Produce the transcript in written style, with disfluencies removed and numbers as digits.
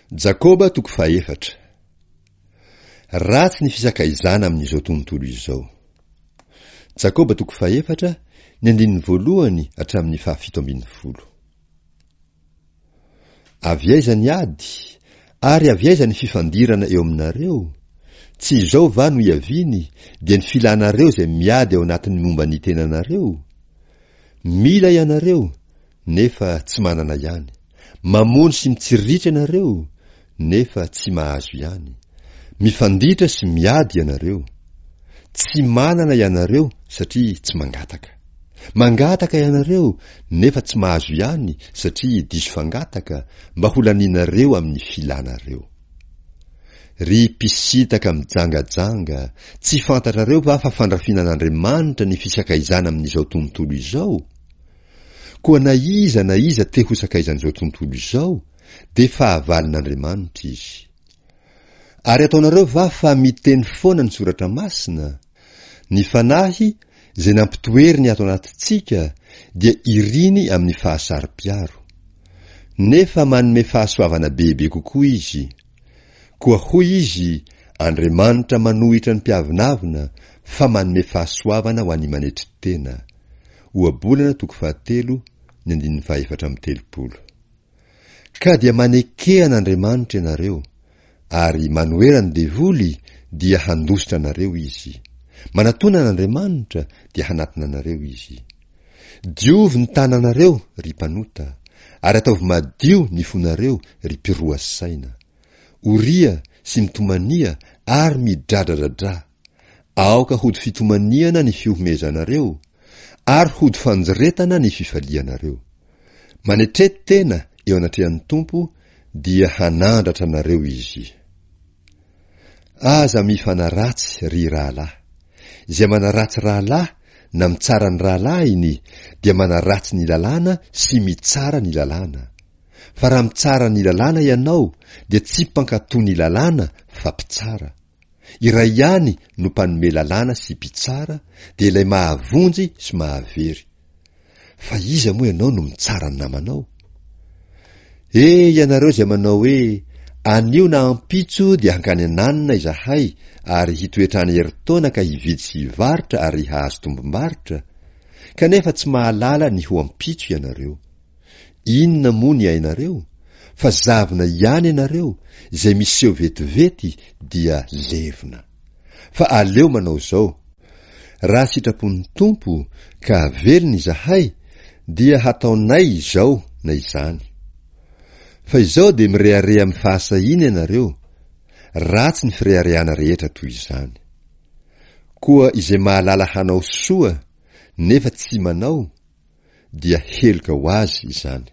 Jakoba toko fahefatra. Ratsy ny fisakaizana amin'izao tontolo izao. Jakoba toko fahefatra, ny andininy voalohany hatramin'ny fahafito ambin'ny folo. Avy aiza ny ady, ary avy aiza ny fifandirana eo aminareo? Tsy izao va no iaviany, dia ny filanareo izay miady ao anatin'ny momba ny tenanareo? Mila ianareo, nefa tsy manana ihany. Mamono sy mitsiriritra ianareo, nefa tsy mahazo ihany. Mifanditra sy miady ianareo. Tsy manana ianareo satria tsy mangataka. Mangataka ianareo nefa tsy mahazo ihany satria diso fangataka mba ho lanianareo amin'ny filanareo. Ry mpisintaka mijangajanga, tsy fantatrareo va fa fandrafiana an'Andriamanitra ny fisakaizana amin'izao tontolo izao? Koa na iza na iza te ho sakaizan'izao tontolo izao dia fahavalon'Andriamanitra izy. Ary ataonareo va fa miteny foana ny Soratra Masina? Ny Fanahy, izay nampitoeriny ato anatintsika, dia iriny amin'ny fahasaro-piaro. Nefa manome fahasoavana bebe kokoa Izy. Koa hoy Izy, Andriamanitra manohitra ny mpiavonavona, fa manome fahasoavana ho an'ny manetry tena. Ohabolana toko fahatelo, ny andininy fahefatra amby telopolo. Ka dia maneke an'Andriamanitra ianareo, ary manohera ny devoly dia handositra anareo izy. Manatona an'Andriamanitra dia hanatona anareo izy. Diovy ny tananareo, ry mpanota, ary ataovy madio ny fonareo, ry mpiroa saina. Oria sy mitomania ary midradradradrà. Aoka hody fitomaniana ny fihomehezanareo, ary hody fanjiretana ny fifalianareo. Manetre tena eo anatrehan'ny Tompo dia hanandratra anareo Izy. Aza mifanaratsy ry rahalahy. Izay manaratsy rahalahy na mitsara ny rahalahiny dia manaratsy ny lalàna sy mitsara ny lalàna. Fa raha mitsara ny lalàna ianao dia tsy mpankatò ny lalàna fa mpitsara. Iray ihany no mpanome lalàna sy mpitsara dia ilay mahavonjy sy mahavery. Fa iza moa ianao no mitsara ny namanao? E ianareo izay manao hoe anio na ampitso dia hankany ananona izahay ary hitoetra any herintaona ka hividy sy hivarotra ary hahazo tombom-barotra, kanefa tsy mahalala ny ho ampitso ianareo. Inona moa ny ainareo? Fa zavona ihany ianareo, izay miseho vetivety dia levona. Fa aleo manao izao, Raha sitrapon'ny Tompo ka velona izahay, dia hataonay izao na izany. Fa izao dia mirehareha amin'ny fahasahiana ianareo, ratsy ny fireharehana rehetra toy izany. Koa izay mahalala hanao soa nefa tsy manao, dia heloka ho azy izany.